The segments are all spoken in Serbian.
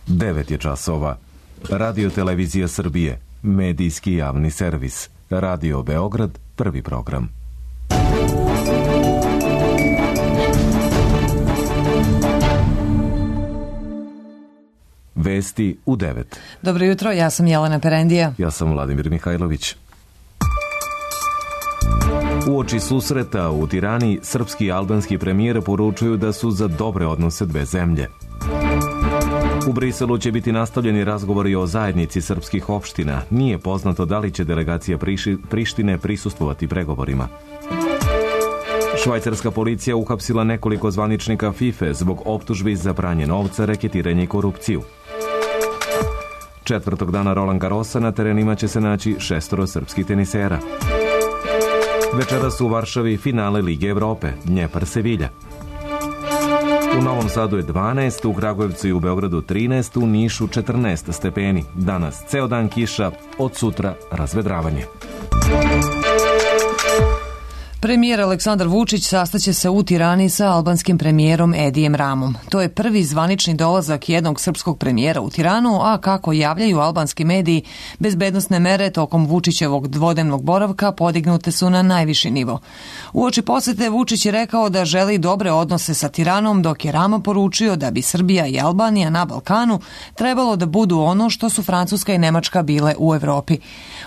9 je časova. Radio Televizija Srbije, medijski javni servis. Radio Beograd, prvi program. Vesti u 9. Dobro jutro, ja sam Jelena Perendija. Ja sam Vladimir Mihajlović. Uoči susreta u Tirani, srpski i albanski premijer poručuju da su za dobre odnose dve zemlje. U Briselu će biti nastavljeni razgovori o zajednici srpskih opština. Nije poznato da li će delegacija Prištine prisustvovati pregovorima. Švajcarska policija uhapsila nekoliko zvaničnika FIFA zbog optužbi za pranje novca, reketiranje i korupciju. Četvrtog dana Roland Garrosa na terenima će se naći 6 srpskih tenisera. Večeras u Varšavi finale Lige Evrope, Dnjepar-Sevilja. U Novom Sadu je 12, u Kragujevcu i u Beogradu 13, u Nišu 14 stepeni. Danas ceo dan kiša, od sutra razvedravanje. Premijer Aleksandar Vučić sastaće se u Tirani sa albanskim premijerom Edijem Ramom. To je prvi zvanični dolazak jednog srpskog premijera u Tiranu, a kako javljaju albanski mediji, bezbednosne mere tokom Vučićevog dvodnevnog boravka podignute su na najviši nivo. Uoči posete Vučić je rekao da želi dobre odnose sa Tiranom, dok je Rama poručio da bi Srbija i Albanija na Balkanu trebalo da budu ono što su Francuska i Nemačka bile u Evropi.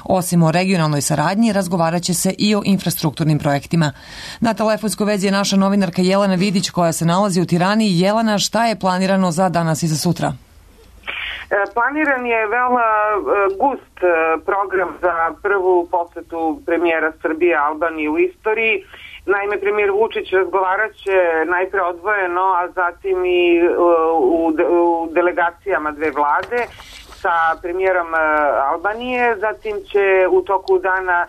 Osim o regionalnoj saradnji, razgovarat će se i o infrastrukturnim projektima. Na telefonskoj vezi je naša novinarka Jelena Vidić koja se nalazi u Tirani. Jelena, šta je planirano za danas i za sutra? Planiran je veoma gust program za prvu posetu premijera Srbije Albanije u istoriji. Naime, premijer Vučić razgovarat će najpre odvojeno, a zatim i u delegacijama dve vlade sa premijerom Albanije. Zatim će u toku dana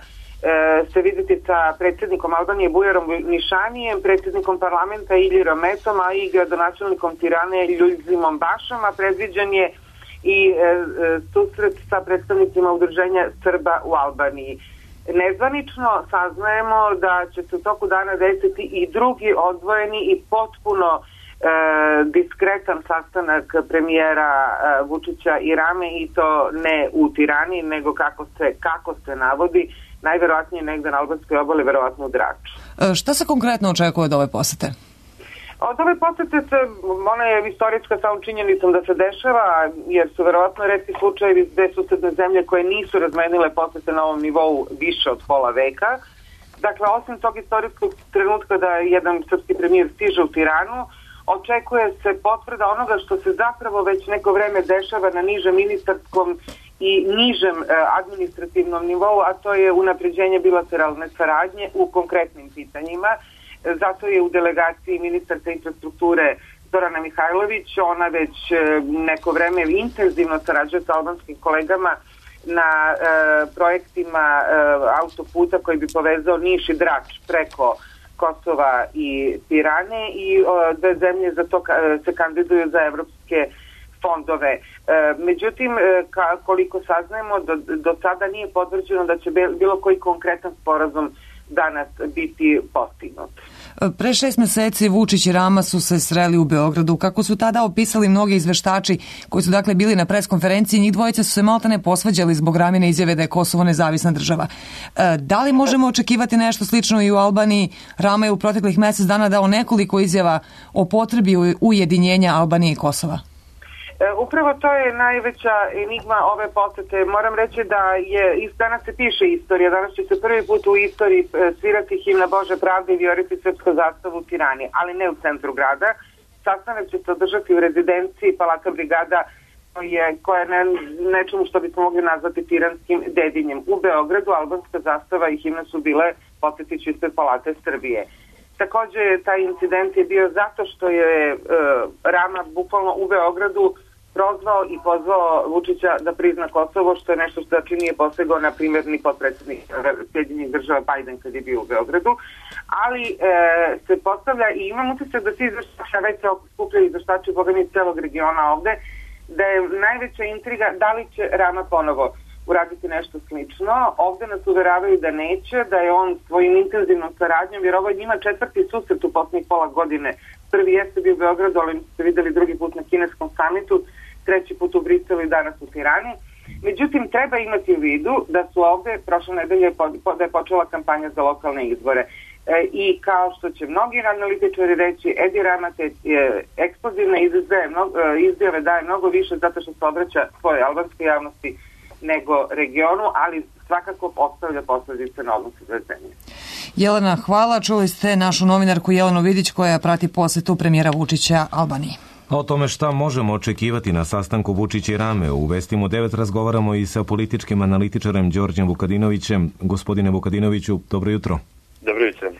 se vidjeti sa predsjednikom Albanije Bujarom Nišanijem, predsjednikom parlamenta Iljirom Metom, a i gradonačelnikom Tirane Ljuljzimom Bašom, a predviđen je i susret sa predstavnicima udruženja Srba u Albaniji. Nezvanično saznajemo da će se u toku dana desiti i drugi odvojeni i potpuno diskretan sastanak premijera Vučića i Rame, i to ne u Tirani, nego kako se navodi, najverovatnije negde na albanskoj obali, verovatno u Draču. Šta se konkretno očekuje od ove posete? Od ove posete ona je istorijska samom činjenicom da se dešava, jer su verovatno retki slučajevi gde susedne zemlje koje nisu razmenile posete na ovom nivou više od pola veka. Dakle, osim tog istorijskog trenutka da jedan srpski premijer stiže u Tiranu, očekuje se potvrda onoga što se zapravo već neko vreme dešava na nižem ministarskom i nižem administrativnom nivou, a to je unapređenje bilateralne saradnje u konkretnim pitanjima. Zato je u delegaciji ministarka infrastrukture Zorana Mihajlović. Ona već neko vreme intenzivno sarađuje sa albanskim kolegama na projektima autoputa koji bi povezao Niš i Drač preko Kosova i Tirane, i dve zemlje za to se kandiduju za evropske fondove. Međutim, koliko saznajemo, do sada nije potvrđeno da će bilo koji konkretan sporazum danas biti postignut. Pre 6 meseci Vučić i Rama su se sreli u Beogradu. Kako su tada opisali mnogi izveštači koji su dakle bili na preskonferenciji, njih dvojica su se maltene posvađali zbog Ramine izjave da je Kosovo nezavisna država. Da li možemo očekivati nešto slično i u Albaniji? Rama je u proteklih mesec dana dao nekoliko izjava o potrebi ujedinjenja Albanije i Kosova. Upravo to je najveća enigma ove posete. Moram reći da danas se piše istorija, danas će se prvi put u istoriji svirati himna Bože pravde i vijoriti srpsku zastavu u Tirani, ali ne u centru grada. Sastanak će se održati u rezidenciji Palata Brigada, koja je nečemu što bismo mogli nazvati tiranskim dedinjem. U Beogradu albanska zastava i himna su bile, podsjetiću, ispred Palate Srbije. Također, taj incident je bio zato što je Rama bukvalno u Beogradu prozvao i pozvao Vučića da prizna Kosovo, što je nešto što nije posegao, na primjer, ni potpredsjednik Sjedinjenih država Biden kad je bio u Beogradu. Ali se postavlja, i imam utisak da svi izveštači, već se skupljaju izveštači Boga mi celog regiona ovde, da je najveća intriga da li će Rama ponovo uraditi nešto slično. Ovde nas uveravaju da neće, da je on svojim intenzivnom saradnjom, jer ovo je njima 4. susret u posljednjih pola godine. Prvi jeste bio u Beogradu, ali ste videli drugi put na kineskom samitu, treći put u Briselu i danas u Tirani. Međutim, treba imati u vidu da su ovde prošle nedelje da je počela kampanja za lokalne izbore. I kao što će mnogi analitičari reći, Edi Rama te eksplozivne izjave daje mnogo više zato što se obraća svojoj albanskoj javnosti nego regionu, ali svakako ostavlja posledice na odnosu za zemlje. Jelena, hvala. Čuli ste našu novinarku Jelenu Vidić koja prati posetu premijera Vučića Albaniji. A o tome šta možemo očekivati na sastanku Vučića i Rame u Vestima 9 razgovaramo i sa političkim analitičarem Đorđem Vukadinovićem. Gospodine Vukadinoviću, dobro jutro. Dobro jutro.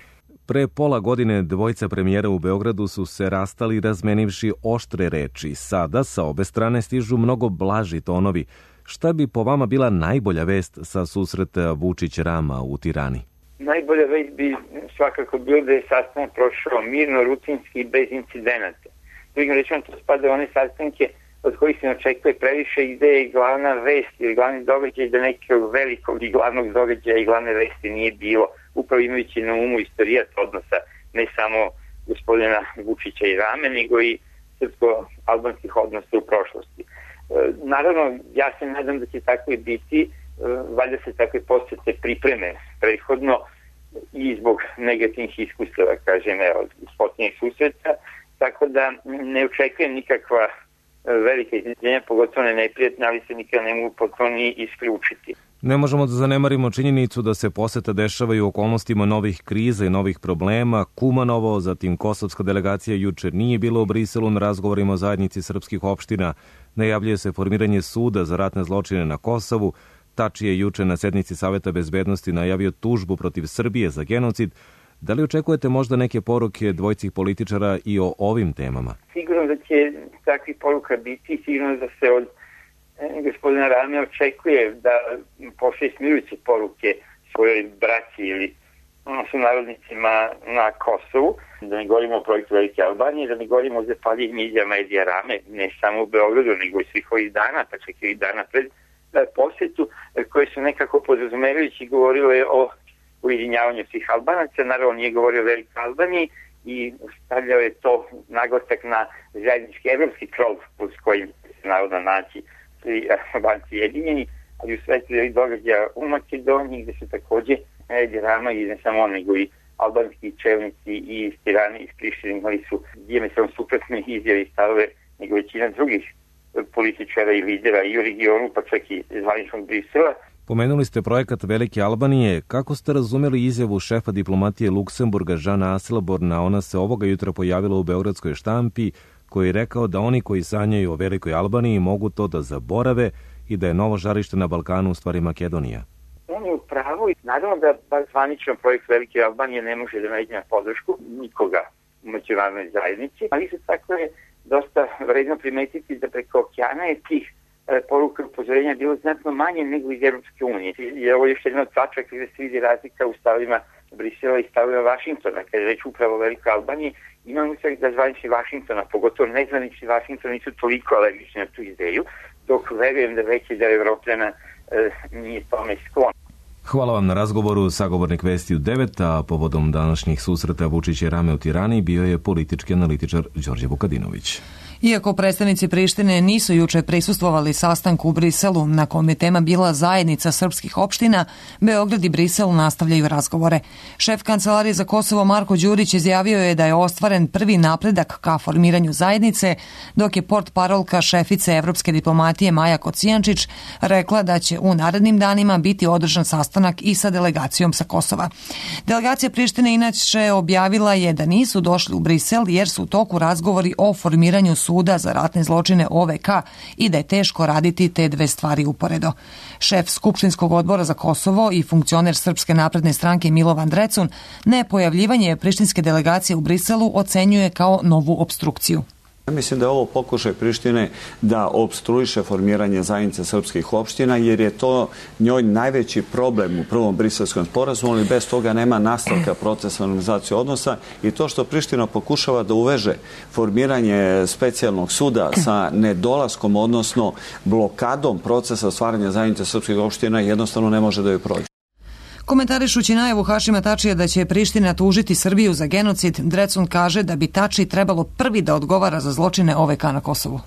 Pre pola godine dvojica premijera u Beogradu su se rastali razmenivši oštre reči. Sada sa obe strane stižu mnogo blaži tonovi. Šta bi po vama bila najbolja vest sa susreta Vučić-Rama u Tirani? Najbolja vest bi svakako bilo da je sastanak prošao mirno, rutinski i bez incidenata. Drugim rečima, to spada u one sastanke od kojih se ne očekuje previše i gde je glavna vest ili glavni događaj da nekog velikog i glavnog događaja i glavne vesti nije bilo, upravo imajući na umu istorijat odnosa ne samo gospodina Vučića i Rame, nego i srpsko-albanskih odnosa u prošlosti. Naravno, ja se nadam da će tako i biti, valjda se takve posete pripreme prethodno i zbog negativnih iskustava, kažem, od posljednjih susreta, tako da ne očekujem nikakva velika iznenađenja, pogotovo ne neprijatna, ali se nikada ne mogu potpuno ni isključiti. Ne možemo da zanemarimo činjenicu da se poseta dešavaju u okolnostima novih kriza i novih problema. Kumanovo, zatim kosovska delegacija juče nije bila u Briselu na razgovorima o zajednici srpskih opština. Najavljuje se formiranje suda za ratne zločine na Kosovu. Tači je juče na sednici Saveta bezbednosti najavio tužbu protiv Srbije za genocid. Da li očekujete možda neke poruke dvojcih političara i o ovim temama? Sigurno da će takvih poruka biti, sigurno da se od gospodina Rame očekuje da pošalje smirujuće poruke svojoj braći ili sunarodnicima na Kosovu, da ne govorimo o projektu Velike Albanije, da ne govorimo o zapaljivim izjavama Edija Rame, ne samo u Beogradu, nego i svih ovih dana, pa čak i dana pred posetu, koje su nekako podrazumevajući govorile o ujedinjavanju svih Albanaca. Naravno nije govorio o Velikoj Albaniji i stavljao je to naglasak na zajednički evropski krov uz kojim se naravno naći svi Albanci jedinjeni, ali u svetu je događaja u Makedoniji gde su takođe Edi Rama i ne samo on, nego i albanski čelnici i iz Tirane i iz Prištine imali su dijametralno suprotne izjave i stavove nego većina drugih političara i lidera i u regionu, pa čak i zvaničnog Brisela. Pomenuli ste projekat Velike Albanije. Kako ste razumeli izjavu šefa diplomatije Luksemburga Žana Asselborna? Ona se ovoga jutra pojavila u beogradskoj štampi, koji je rekao da oni koji sanjaju o Velikoj Albaniji mogu to da zaborave i da je novo žarište na Balkanu u stvari Makedonija. On je u pravu i naravno da bar zvaničan projekt Velike Albanije ne može da nađe na podršku nikoga u međunarodnoj zajednici, ali isto tako je dosta vredno primetiti da preko okeana je tih poruka upozorenja bilo znatno manje nego iz Evropske unije. I ovo je još jedna od tačaka gde se vidi razlika u stavima Brisela i stavima Vašingtona. Kada je reč upravo o Velikoj Albaniji, imam utisak da zvanični Vašingtona, pogotovo nezvanični Vašington, nisu toliko alergični na tu ideju, dok verujem da veći deo Evropljana nije tome sklon. Hvala vam na razgovoru. Sagovornik Vesti u 9, a povodom današnjih susreta Vučića i Rame u Tirani bio je politički analitičar Đorđe Vukadinović. Iako predstavnici Prištine nisu juče prisustvovali sastanku u Briselu, na kom je tema bila zajednica srpskih opština, Beograd i Brisel nastavljaju razgovore. Šef Kancelarije za Kosovo Marko Đurić izjavio je da je ostvaren prvi napredak ka formiranju zajednice, dok je portparolka šefice evropske diplomatije Maja Kocijančić rekla da će u narednim danima biti održan sastanak i sa delegacijom sa Kosova. Delegacija Prištine inače objavila je da nisu došli u Brisel jer su u toku razgovori o formiranju suda za ratne zločine OVK i da je teško raditi te dve stvari uporedo. Šef Skupštinskog odbora za Kosovo i funkcioner Srpske napredne stranke Milovan Drecun nepojavljivanje prištinske delegacije u Briselu ocenjuje kao novu opstrukciju. Mislim da je ovo pokušaj Prištine da opstruiše formiranje zajednice srpskih opština, jer je to njoj najveći problem u prvom briselskom sporazumu, ali bez toga nema nastavka procesa normalizacije odnosa i to što Priština pokušava da uveže formiranje specijalnog suda sa nedolaskom, odnosno blokadom procesa stvaranja zajednice srpskih opština, jednostavno ne može da joj prođe. Komentarišući najavu Hašima Tačija da će Priština tužiti Srbiju za genocid, Drecun kaže da bi Tači trebalo prvi da odgovara za zločine OVK na Kosovu.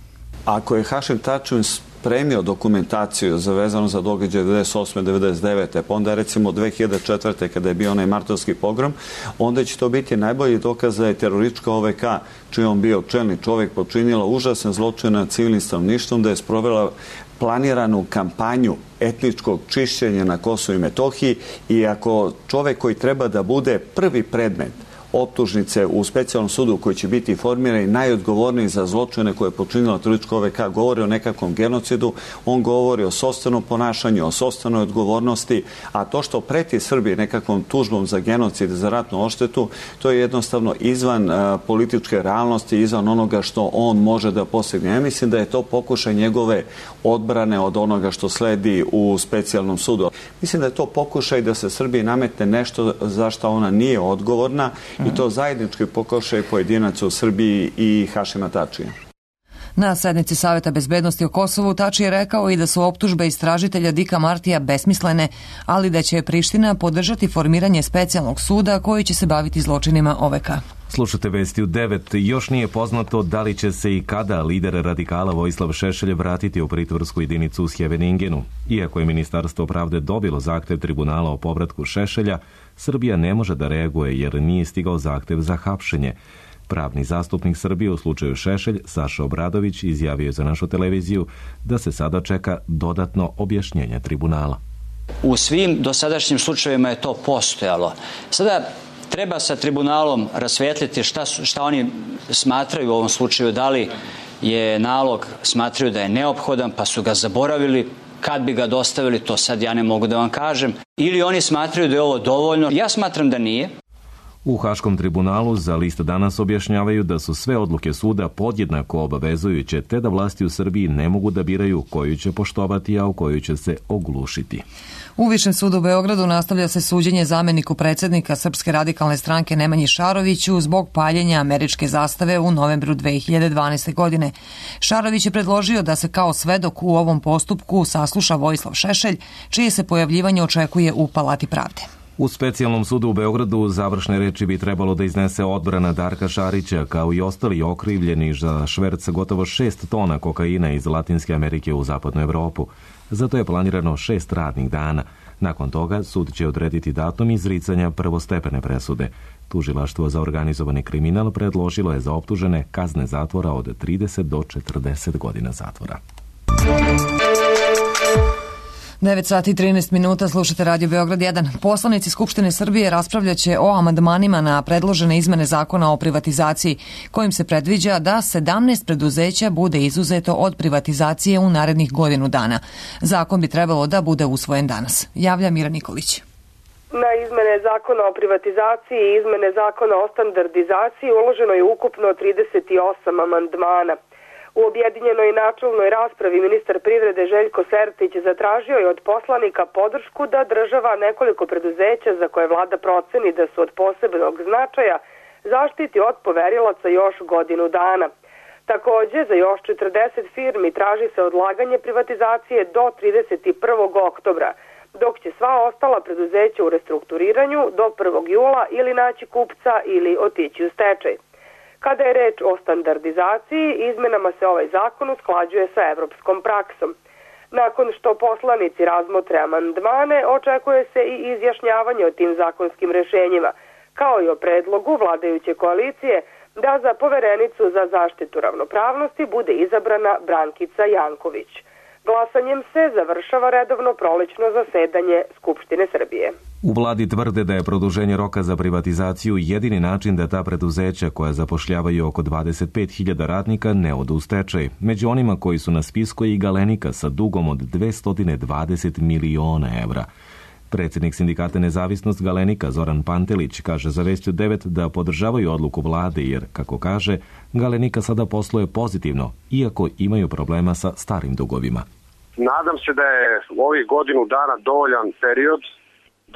Ako je Hašim Tačin spremio dokumentaciju vezano za događaje 98. 99. pa onda recimo 2004. kada je bio onaj martovski pogrom, onda će to biti najbolji dokaz da je teroristička OVK, čiji on bio čelni čovjek, počinila užasan zločin nad civilnim stanovništvom, da je sprovela planiranu kampanju etničkog čišćenja na Kosovu i Metohiji, i ako čovjek koji treba da bude prvi predmet optužnice u specijalnom sudu koji će biti formiran i najodgovorniji za zločine koje je počinila teroristička OVK govori o nekakvom genocidu, on govori o sopstvenom ponašanju, o sopstvenoj odgovornosti, a to što preti Srbiji nekakvom tužbom za genocid, za ratnu odštetu, to je jednostavno izvan političke realnosti, izvan onoga što on može da postigne. Ja mislim da je to pokušaj njegove odbrane od onoga što sledi u specijalnom sudu. Mislim da je to pokušaj da se Srbiji nametne nešto za što ona nije odgovorna, i to zajednički pokušaj pojedinaca u Srbiji i Hašima Tačija. Na sednici Saveta bezbednosti o Kosovu Tači je rekao i da su optužbe istražitelja Dika Martija besmislene, ali da će Priština podržati formiranje specijalnog suda koji će se baviti zločinima OVK. Slušate vesti u 9. Još nije poznato da li će se i kada lider radikala Vojislav Šešelj vratiti u pritvorsku jedinicu u Sjeveningenu. Iako je Ministarstvo pravde dobilo zahtev tribunala o povratku Šešelja, Srbija ne može da reaguje jer nije stigao zahtev za hapšenje. Pravni zastupnik Srbije u slučaju Šešelj, Saša Obradović, izjavio je za našu televiziju da se sada čeka dodatno objašnjenje tribunala. U svim dosadašnjim slučajevima je to postojalo. Sada treba sa tribunalom rasvijetliti šta oni smatraju u ovom slučaju, da li je nalog smatraju da je neophodan pa su ga zaboravili, kad bi ga dostavili, to sad ja ne mogu da vam kažem, ili oni smatraju da je ovo dovoljno. Ja smatram da nije. U Haškom tribunalu za List danas objašnjavaju da su sve odluke suda podjednako obavezujuće, te da vlasti u Srbiji ne mogu da biraju koju će poštovati, a u koju će se oglušiti. U Višem sudu u Beogradu nastavlja se suđenje zameniku predsjednika Srpske radikalne stranke Nemanji Šaroviću zbog paljenja američke zastave u novembru 2012. godine. Šarović je predložio da se kao svedok u ovom postupku sasluša Vojislav Šešelj, čije se pojavljivanje očekuje u Palati pravde. U specijalnom sudu u Beogradu završne reči bi trebalo da iznese odbrana Darka Šarića, kao i ostali okrivljeni za šverc gotovo 6 tona kokaina iz Latinske Amerike u zapadnu Evropu. Zato je planirano 6 radnih dana. Nakon toga sud će odrediti datum izricanja prvostepene presude. Tužilaštvo za organizovani kriminal predložilo je za optužene kazne zatvora od 30 do 40 godina zatvora. 9 sati i 13 minuta, slušate Radio Beograd 1. Poslanici Skupštine Srbije raspravljaće o amandmanima na predložene izmene zakona o privatizaciji, kojim se predviđa da 17 preduzeća bude izuzeto od privatizacije u narednih godinu dana. Zakon bi trebalo da bude usvojen danas. Javlja Mira Nikolić. Na izmene zakona o privatizaciji i izmene zakona o standardizaciji uloženo je ukupno 38 amandmana. U objedinjenoj načelnoj raspravi ministar privrede Željko Sertić zatražio je od poslanika podršku da država nekoliko preduzeća za koje vlada proceni da su od posebnog značaja zaštiti od poverilaca još godinu dana. Takođe, za još 40 firmi traži se odlaganje privatizacije do 31. oktobra, dok će sva ostala preduzeća u restrukturiranju do 1. jula ili naći kupca ili otići u stečaj. Kada je reč o standardizaciji, izmenama se ovaj zakon usklađuje sa evropskom praksom. Nakon što poslanici razmotre amandmane, očekuje se i izjašnjavanje o tim zakonskim rešenjima, kao i o predlogu vladajuće koalicije da za poverenicu za zaštitu ravnopravnosti bude izabrana Brankica Janković. Glasanjem se završava redovno prolećno zasedanje Skupštine Srbije. U vladi tvrde da je produženje roka za privatizaciju jedini način da ta preduzeća koja zapošljavaju oko 25.000 radnika ne odu u stečaj. Među onima koji su na spisku je i Galenika sa dugom od 220 miliona evra. Predsjednik sindikata Nezavisnost Galenika Zoran Pantelić kaže za Vesti 9 da podržavaju odluku vlade jer, kako kaže, Galenika sada posluje pozitivno, iako imaju problema sa starim dugovima. Nadam se da je u ovih godinu dana dovoljan period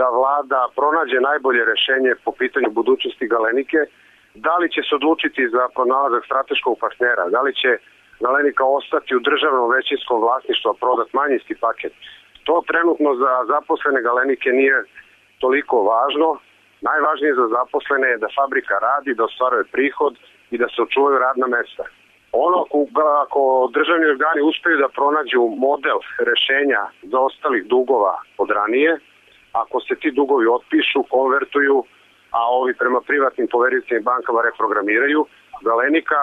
da vlada pronađe najbolje rešenje po pitanju budućnosti Galenike. Da li će se odlučiti za pronalazak strateškog partnera, da li će Galenika ostati u državnom većinskom vlasništvu, a prodat manjinski paket. To trenutno za zaposlene Galenike nije toliko važno. Najvažnije za zaposlene je da fabrika radi, da ostvaruje prihod i da se očuvaju radna mesta. Ako državni organi uspeju da pronađu model rešenja zaostalih dugova od ranije, ako se ti dugovi otpišu, konvertuju, a ovi prema privatnim povericima i bankama reprogramiraju, Galenika,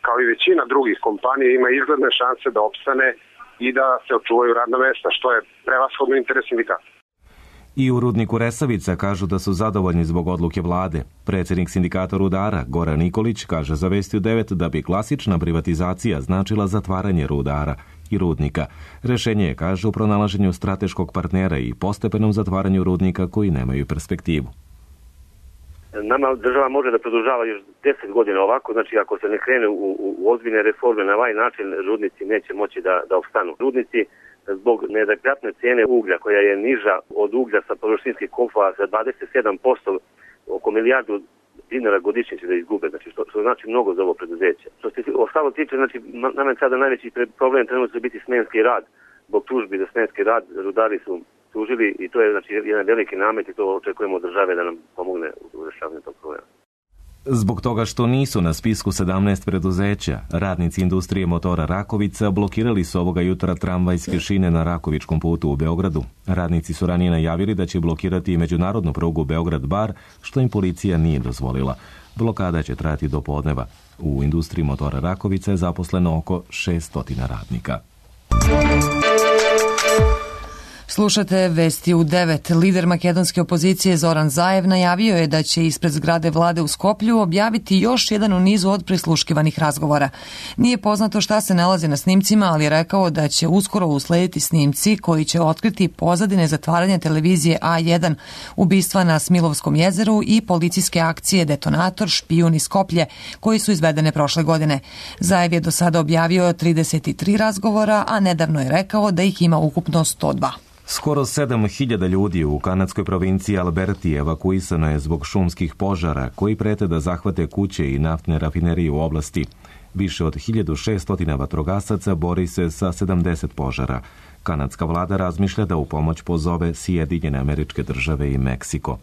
kao i većina drugih kompanija, ima izgledne šanse da opstane i da se očuvaju radna mesta, što je prevashodno interes sindikata. I u rudniku Resavica kažu da su zadovoljni zbog odluke vlade. Predsjednik sindikata rudara Goran Nikolić kaže za Vesti u 9 da bi klasična privatizacija značila zatvaranje rudara i rudnika. Rešenje je, kaže, u pronalaženju strateškog partnera i postepenom zatvaranju rudnika koji nemaju perspektivu. Nama država može da produžava još 10 godina ovako, znači ako se ne krene u ozbiljne reforme na ovaj način, rudnici neće moći da opstanu. Rudnici zbog neadekvatne cijene uglja, koja je niža od uglja sa površinskih kopova za 27%, oko milijardu dinara godišnje će da izgube, znači što znači mnogo za ovo preduzeće. Što se ostalo tiče, znači nama je sada najveći problem trenutno će biti smenski rad. Zbog tužbi za smenski rad rudari su tužili i to je znači jedan veliki namet i to očekujemo od države da nam pomogne u rešavanju tog problema. Zbog toga što nisu na spisku 17 preduzeća, radnici industrije motora Rakovica blokirali su ovoga jutra tramvajske šine na Rakovičkom putu u Beogradu. Radnici su ranije najavili da će blokirati i međunarodnu prugu Beograd-Bar, što im policija nije dozvolila. Blokada će trajati do podneva. U industriji motora Rakovica je zaposleno oko 600 radnika. Slušate Vesti u 9. Lider makedonske opozicije Zoran Zaev najavio je da će ispred zgrade vlade u Skoplju objaviti još jedan u nizu od prisluškivanih razgovora. Nije poznato šta se nalazi na snimcima, ali je rekao da će uskoro uslediti snimci koji će otkriti pozadine zatvaranja televizije A1, ubistva na Smilovskom jezeru i policijske akcije Detonator, špijun i Skoplje, koji su izvedene prošle godine. Zaev je do sada objavio 33 razgovora, a nedavno je rekao da ih ima ukupno 102. Skoro 7.000 ljudi u kanadskoj provinciji Alberti evakuisano je zbog šumskih požara koji prete da zahvate kuće i naftne rafinerije u oblasti. Više od 1600 vatrogasaca bori se sa 70 požara. Kanadska vlada razmišlja da u pomoć pozove Sjedinjene Američke Države i Meksiko.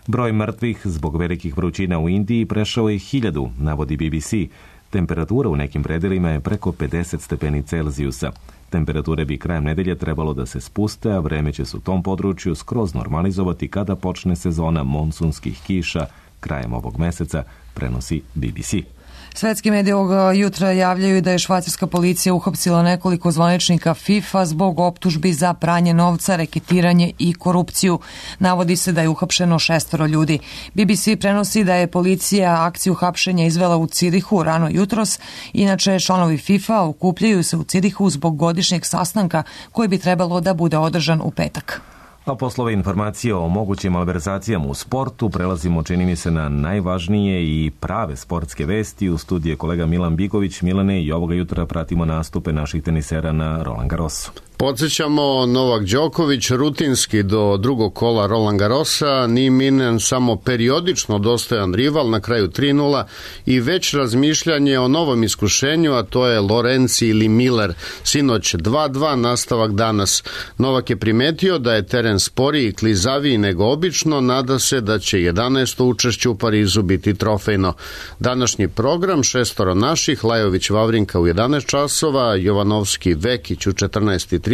Broj mrtvih zbog velikih vrućina u Indiji prešao je 1000, navodi BBC. Temperatura u nekim predelima je preko 50 stepeni Celzijusa. Temperature bi krajem nedelje trebalo da se spuste, a vreme će se u tom području skroz normalizovati kada počne sezona monsunskih kiša krajem ovog meseca, prenosi BBC. Svetski mediji ovog jutra javljaju da je švajcarska policija uhapsila nekoliko zvaničnika FIFA zbog optužbi za pranje novca, reketiranje i korupciju. Navodi se da je uhapšeno 6 ljudi. BBC prenosi da je policija akciju hapšenja izvela u Cirihu rano jutros. Inače, članovi FIFA okupljaju se u Cirihu zbog godišnjeg sastanka koji bi trebalo da bude održan u petak. A poslove informacije o mogućim malverzacijama u sportu prelazimo, čini mi se, na najvažnije i prave sportske vesti. U studiju je kolega Milan Bigović. Milane, i ovoga jutra pratimo nastupe naših tenisera na Roland Garrosu. Podsjećamo, Novak Đoković rutinski do drugog kola Roland Garrosa, Nieminen samo periodično dostojan rival, na kraju 3-0 i već razmišljanje o novom iskušenju, a to je Lorenzi ili Miller. Sinoć 2-2, nastavak danas. Novak je primetio da je teren sporiji i klizaviji nego obično, nada se da će 11. učešće u Parizu biti trofejno. Današnji program, 6 naših, Lajović Vavrinka u 11 časova, Jovanovski Vekić u 14:30,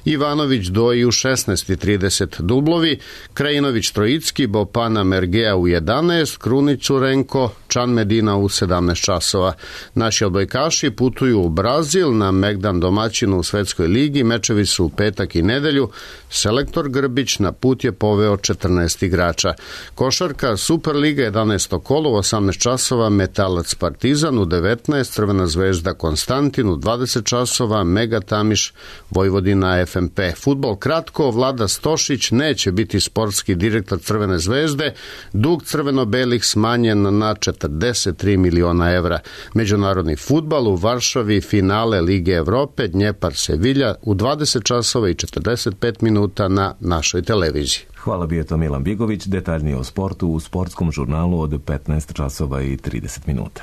Ivanović Doji u 16:30 dublovi, Krajinović Trojicki, Bopana Mergea u 11, Krunić Curenko, Čan Medina u 17 časova. Naši odbojkaši putuju u Brazil na Megdan domaćinu u Svetskoj ligi, mečevi su u petak i nedelju, selektor Grbić na put je poveo 14 igrača. Košarka, Superliga 11. kolo u 18 časova, Metalac Partizan u 19, Crvena zvezda Konstantin u 20 časova, Mega Tamiš Vojvodina FMP. Fudbal kratko, Vlada Stošić neće biti sportski direktor Crvene zvezde, dug crveno-belih smanjen na 43 miliona evra. Međunarodni fudbal u Varšavi, finale Lige Evrope, Dnjepar Sevilja u 20 časova i 45 minuta na našoj televiziji. Hvala, bio je to Milan Bigović. Detaljnije o sportu u sportskom žurnalu od 15 časova i 30 minuta.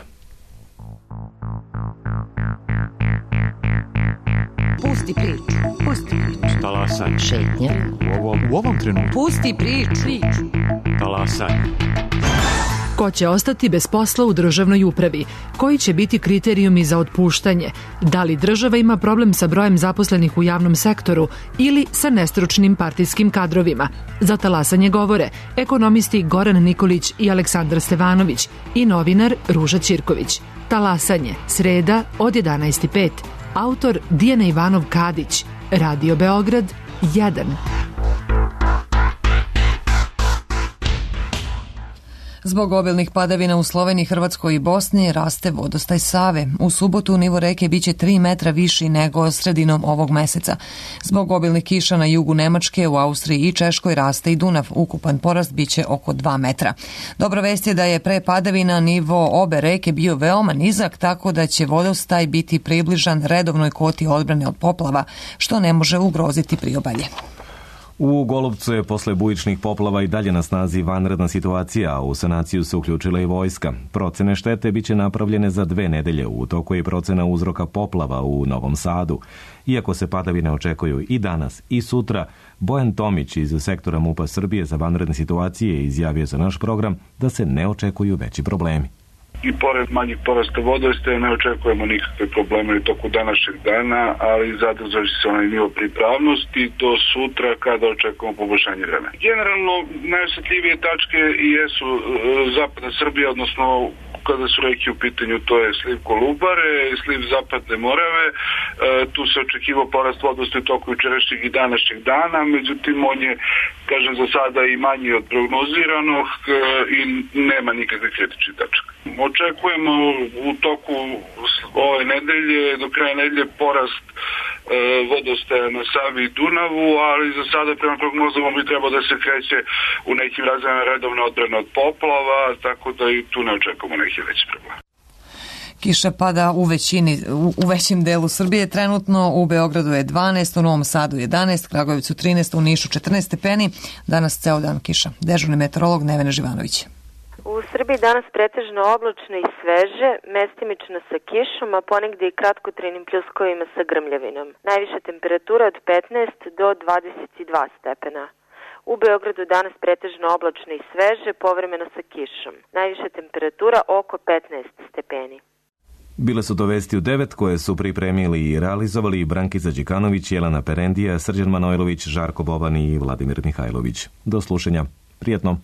Pusti priču. Pusti priču. Talasaj. Šetnja. U ovom trenutku. Pusti priču. Talasaj. Ko će ostati bez posla u državnoj upravi? Koji će biti kriterijumi za otpuštanje? Da li država ima problem sa brojem zaposlenih u javnom sektoru ili sa nestručnim partijskim kadrovima? Za talasanje govore ekonomisti Goran Nikolić i Aleksandar Stevanović i novinar Ruža Ćirković. Talasanje, sreda od 11:05. Autor Dijana Ivanov Kadić. Radio Beograd 1. Zbog obilnih padavina u Sloveniji, Hrvatskoj i Bosni raste vodostaj Save. U subotu nivo reke biće 3 metra viši nego sredinom ovog meseca. Zbog obilnih kiša na jugu Nemačke, u Austriji i Češkoj raste i Dunav. Ukupan porast biće oko 2 metra. Dobra vest je da je pre padavina nivo obe reke bio veoma nizak, tako da će vodostaj biti približan redovnoj kvoti odbrane od poplava, što ne može ugroziti priobalje. U Golubcu je posle bujičnih poplava i dalje na snazi vanredna situacija, a u sanaciju se uključila i vojska. Procene štete biće napravljene za 2 nedelje, u toku je i procena uzroka poplava u Novom Sadu. Iako se padavine očekuju i danas i sutra, Bojan Tomić iz sektora MUP-a Srbije za vanredne situacije izjavio za naš program da se ne očekuju veći problemi. I pored manjih porasta vodostaja ne očekujemo nikakve probleme u toku današnjeg dana, ali zadržat će se onaj nivo pripravnosti do sutra kada očekujemo poboljšanje vremena. Generalno najosjetljivije tačke jesu zapadna Srbija, odnosno kada su reke u pitanju, to je sliv Kolubare, sliv Zapadne Morave. Tu se očekivao porast vodostaja u toku jučerašnjeg i današnjeg dana, međutim on je, kažem, za sada i manji od prognoziranog i nema nikakve kritične tačke. Očekujemo u toku ove nedelje, do kraja nedelje, porast vodostaja na Savi i Dunavu, ali za sada prema prognozama bi trebao da se kreće u nekim razvojima redovne odbrane od poplava, tako da i tu ne očekujemo neki veći problem. Kiša pada u većem delu Srbije. Trenutno u Beogradu je 12, u Novom Sadu 11, Kragujevcu 13, u Nišu 14 stepeni. Danas ceo dan kiša. Dežurni meteorolog Nevena Živanović. U Srbiji danas pretežno oblačno i sveže, mestimično sa kišom, a ponegde i kratkotrajnim pljuskovima sa grmljavinom. Najviša temperatura od 15 do 22 stepena. U Beogradu danas pretežno oblačno i sveže, povremeno sa kišom. Najviša temperatura oko 15 stepeni. Bile su to vesti u 9 koje su pripremili i realizovali Brankica Đikanović, Jelena Perendija, Srđan Manojlović, Žarko Boban i Vladimir Mihajlović. Do slušanja. Prijetno.